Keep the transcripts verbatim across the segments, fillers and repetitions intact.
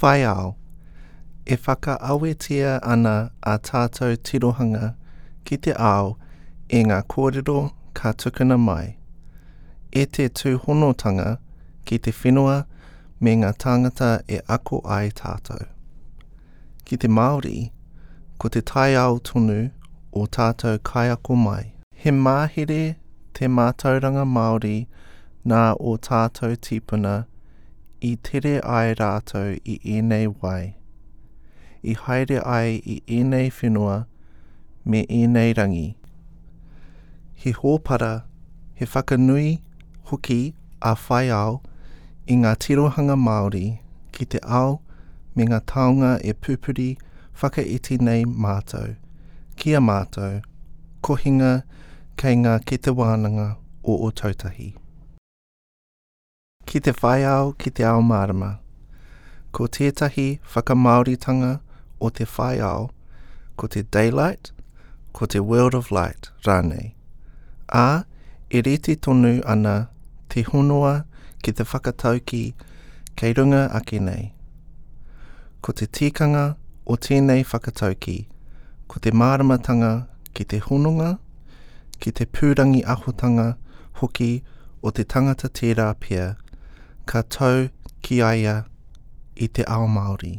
Whai ao. E whakaawetia ana ā tātou tirohanga ki te ao e ngā kōrero ka tukuna mai, e te tūhonotanga ki te whenua me ngā tāngata e ako ai tātou. Ki te Māori, ko te taiao tonu ō tātou kaiako mai. He mahere te mātauranga Māori nā ō tātou tīpuna i tere ai rātou i ēnei wai, i haere ai i ēnei whenua me ēnei rangi. He hōpara, he whakanui hoki a Whai Ao i ngā tirohanga Māori ki te ao me ngā taonga e pupuri whakaiti nei mātou, ki ā mātou kohinga kei ngā kete wānanga o Ōtautahi. Ki te whai ao ki te ao mārama. Ko tētahi whakamāoritanga o te whai ao, ko te daylight, ko te world of light rānei. Ā, e rite tonu ana te honoa ki te whakataukī kei runga ake nei. Ko te tikanga o tēnei whakataukī, ko te māramatanga ki te hononga, ki te pūrangi ahotanga hoki o te tangata tērā pea, ka tau ki a ia i te ao Māori.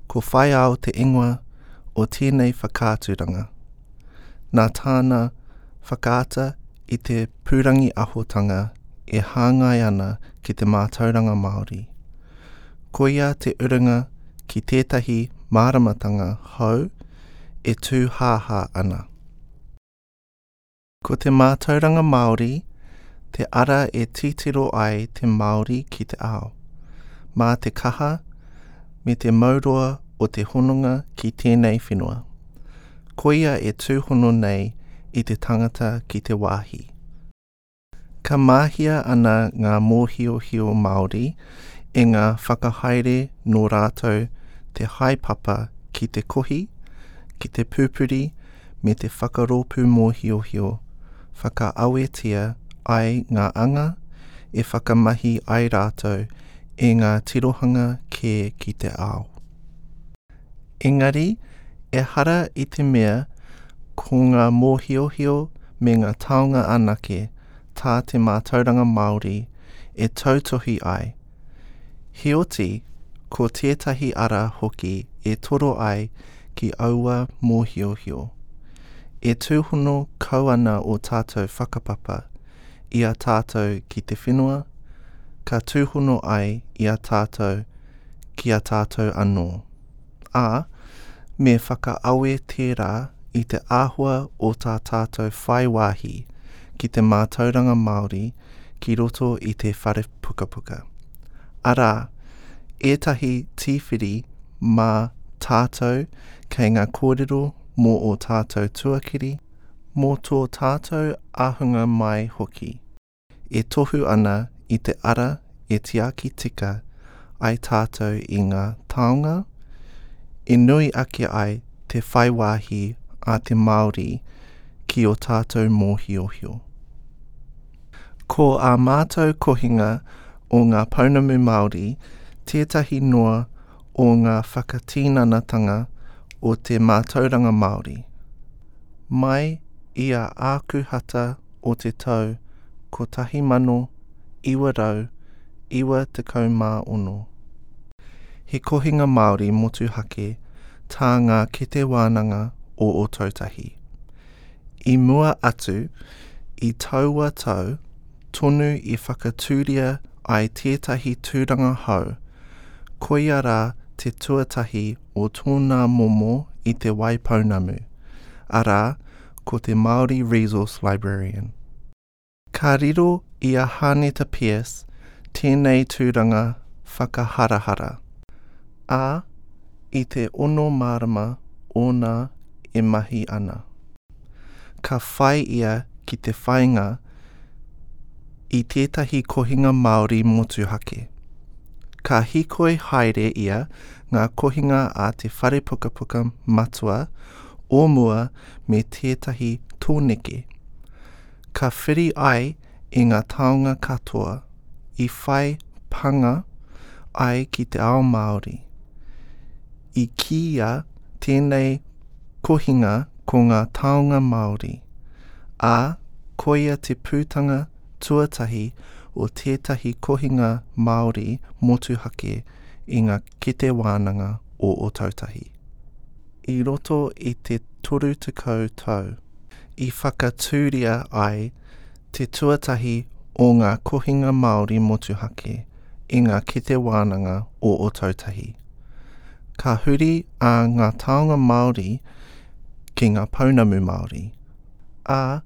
Ko Whai Ao te ingoa o tēnei whakaaturanga. Nā tāna whakaata i te pūrangi ahotanga e hāngai ana ki te mātauranga Māori. Koia te urunga ki tētahi māramatanga hou e tūhāhā ana. Ko te mātauranga Māori te ara e titiro ai te Māori ki te ao. Mā te kaha me te mauroa o te hononga ki tēnei whenua. Koia e tūhono nei i te tangata ki te wāhi. Ka mahia ana ngā mōhiohio Māori e ngā whakahaere nō rātou te haepapa ki te kohi, ki te pupuri me te whakarōpū mōhiohio, whakaawetia ai ngā anga e whakamahi ai rātou i ngā tirohanga kē ki te ao. Engari, ehara i te mea ko ngā mōhiohio me ngā taonga anake tā te mātauranga Māori e tautohu ai. Heoti, ko tētahi ara hoki e toro ai ki aua mōhiohio. E tūhono kau ana ō tātou whakapapa i a tātou ki te whenua, ka tūhono ai i a tātou ki a tātou anō. Ā, me whakaawe tērā i te āhua o tā tātou whai wāhi ki te mātauranga Māori ki roto i te whare pukapuka. Arā, ētahi tīwhiri mā tātou kei ngā kōrero mō ō tātou tuakiri, mō tō tātou ahunga mai hoki, e tohu ana i te ara e tiaki tika ai tātou i ngā taonga, e nui ake ai te whai wāhi a te Māori ki ō tātou mōhiohio. Ko ā mātou kohinga o ngā pounamu Māori tētahi noa o ngā whakatinanatanga o te mātauranga Māori. Mai i a Ākuhata o te tau kotahi mano iwa rau iwa tekau mā ono. He kohinga Māori motuhake tā ngā kete wānanga o Ōtautahi. I mua atu, i taua tau tonu i whakatūria ai tētahi tūranga hou, koia rā te tuatahi o tōna momo i Te Waipounamu, arā, ko te Māori Resource Librarian. Ka riro i a Hāneta Pearce tēnei tūranga whakaharahara, ā, i te ono marama ōna e mahi ana. Ka whai ia ki te whāinga i tētahi kohinga Māori motuhake. Ka hīkoi haere ia ngā kohinga a te whare pukapuka matua o mua me tētahi tōneke. Ka whiri ai i ngā taonga katoa i whai pānga ai ki te ao Māori. I kīia tēnei kohinga ko ngā taonga Māori, ā, koia te putanga tuatahi o tētahi kohinga Māori motuhake i ngā kete wānanga o Ōtautahi. I roto i te toru tekau tau, i whakatūria ai te tuatahi o ngā kohinga Māori motuhake i ngā kete wānanga o Ōtautahi. Ka huri a ngā taonga Māori ki ngā pounamu Māori, ā,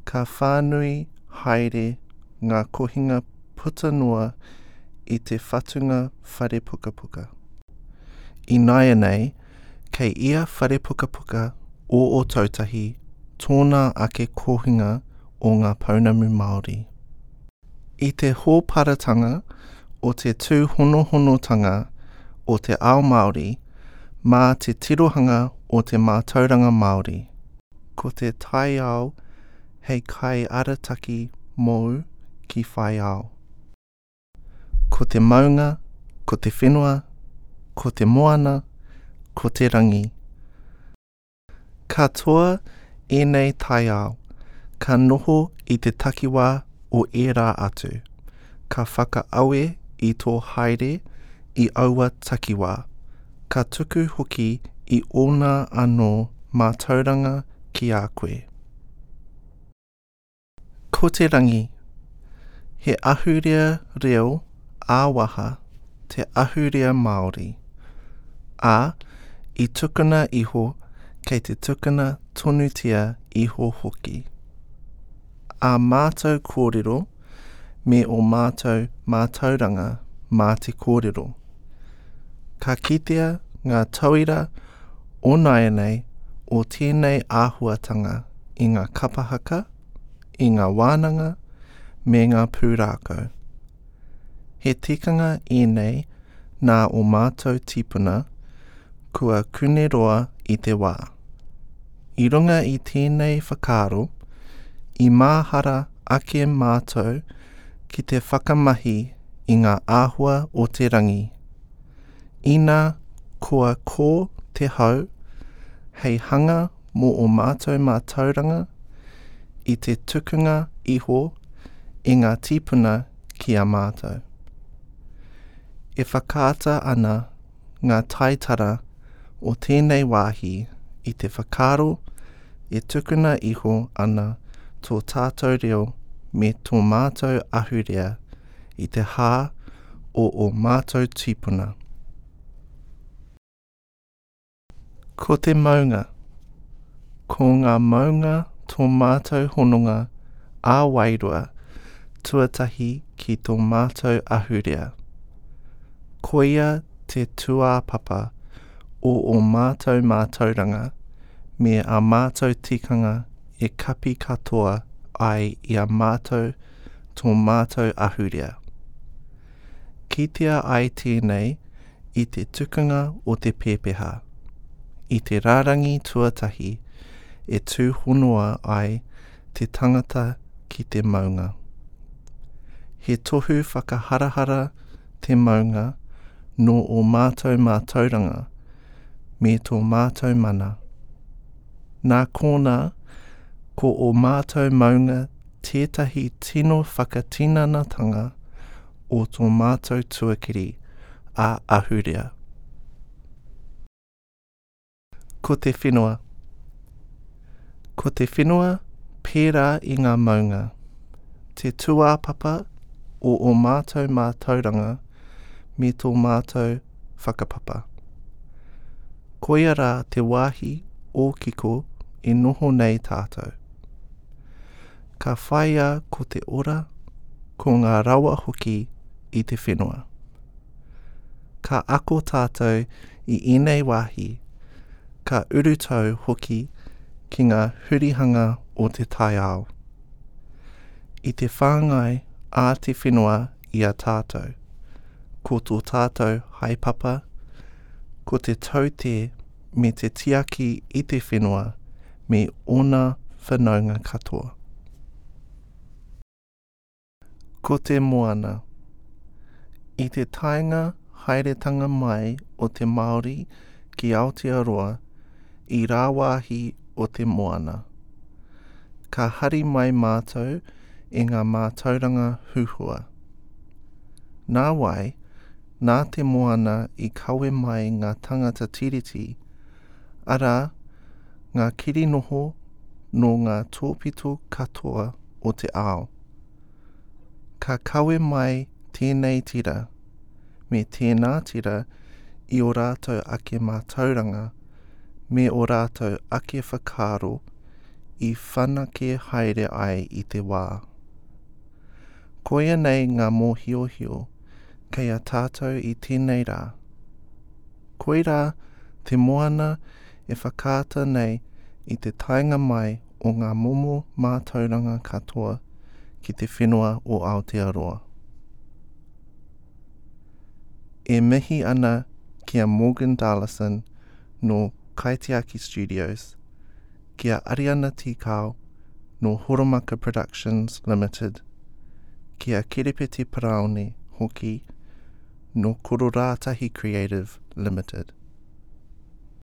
ka whānui haere ngā kohinga puta noa i te whatunga whare pukapuka. Ināianei, kei ia whare pukapuka o Ōtautahi tōna ake kohinga o ngā pounamu Māori. I te hōparatanga o te tūhonohonotanga o te ao Māori mā te tirohanga o te mātauranga Māori. Ko te taiao hei kaiarataki mōu ki whai ao. Ko te maunga, ko te whenua, ko te moana, ko te rangi. Katoa ēnei taiao, ka noho i te takiwā o ērā atu, ka whakaawe i tō haere i aua takiwā, ka tuku hoki i ōna anō mātauranga ki a koe. Ko te rangi. He ahurea reo ā-waha te ahurea Māori, ā, i tukuna iho kei te tukuna tonutia iho hoki. Ā mātou kōrero me ō mātou mātauranga mā te kōrero. Ka kitea ngā tauira o nāianei o tēnei āhuatanga i ngā kapa haka, i ngā wānanga, me ngā pūrākau. He tikanga ēnei nā ō mātou tīpuna kua kuneroa i te wā. I runga i tēnei whakaaro, i mahara ake mātou ki te whakamahi i ngā āhua o te rangi. Ina kua kō te hau, hei hanga mō ō mātou mātauranga i te tukunga iho i ngā tīpuna ki a mātou. E whakaata ana ngā taitara o tēnei wāhi i te whakaaro e tukuna iho ana tō tātou reo me tō mātou ahurea i te hā o ō mātou tīpuna. Ko te maunga. Ko ngā maunga tō mātou hononga ā-wairua tuatahi ki tō mātou ahurea. Koia te tūāpapa o ō mātou mātauranga me ā mātou tikanga e kapi katoa ai i a mātou tō mātou ahurea. Kitea ai tēnei i te tukunga o te pepeha, i te rārangi tuatahi e tūhonoa ai te tangata ki te maunga. He tohu whakaharahara te maunga nō ō mātou mātauranga me tō mātou mana. Nā konā, ko ō mātou maunga tētahi tino whakatinanatanga o tō mātou tuakiri ā-ahurea. Ko te whenua. Ko te whenua pērā i ngā maunga, te tūāpapa o ō mātou mātauranga me tō mātou whakapapa. Koia rā te wāhi ōkiko e noho nei tātou. Ka whāia ko te ora, ko ngā rawa hoki i te whenua. Ka ako tātou i ēnei wāhi, ka urutau hoki ki ngā hurihanga o te taiao. I te whāngai a te whenua i a tātou, ko tō tātou haepapa, ko te taute me te tiaki i te whenua me ōna whanaunga katoa. Ko te moana. I te taenga haeretanga mai o te Māori ki Aotearoa i rāwāhi o te moana, ka hari mai mātou i ngā mātauranga huhua. Nāwai, nā te moana i kawe mai ngā tangata tiriti, arā, ngā kirinoho nō ngā tōpito katoa o te ao. Ka kawe mai tēnei tira, me tēnā tira i ō rātou ake mātauranga me ō rātou ake whakaaro i whanake haere ai i te wā. Koia nei ngā mōhiohio kei a tātou i tēnei rā. Koirā te moana e whakaata nei i te taenga mai o ngā momo mātauranga katoa ki te whenua o Aotearoa. E mihi ana ki a Morgan Darlison nō Kaitiaki Studios, ki a Ariana Tikao nō Horomaka Productions Limited, ki a Kerepete Paraone hoki nō Kororātahi Creative Limited.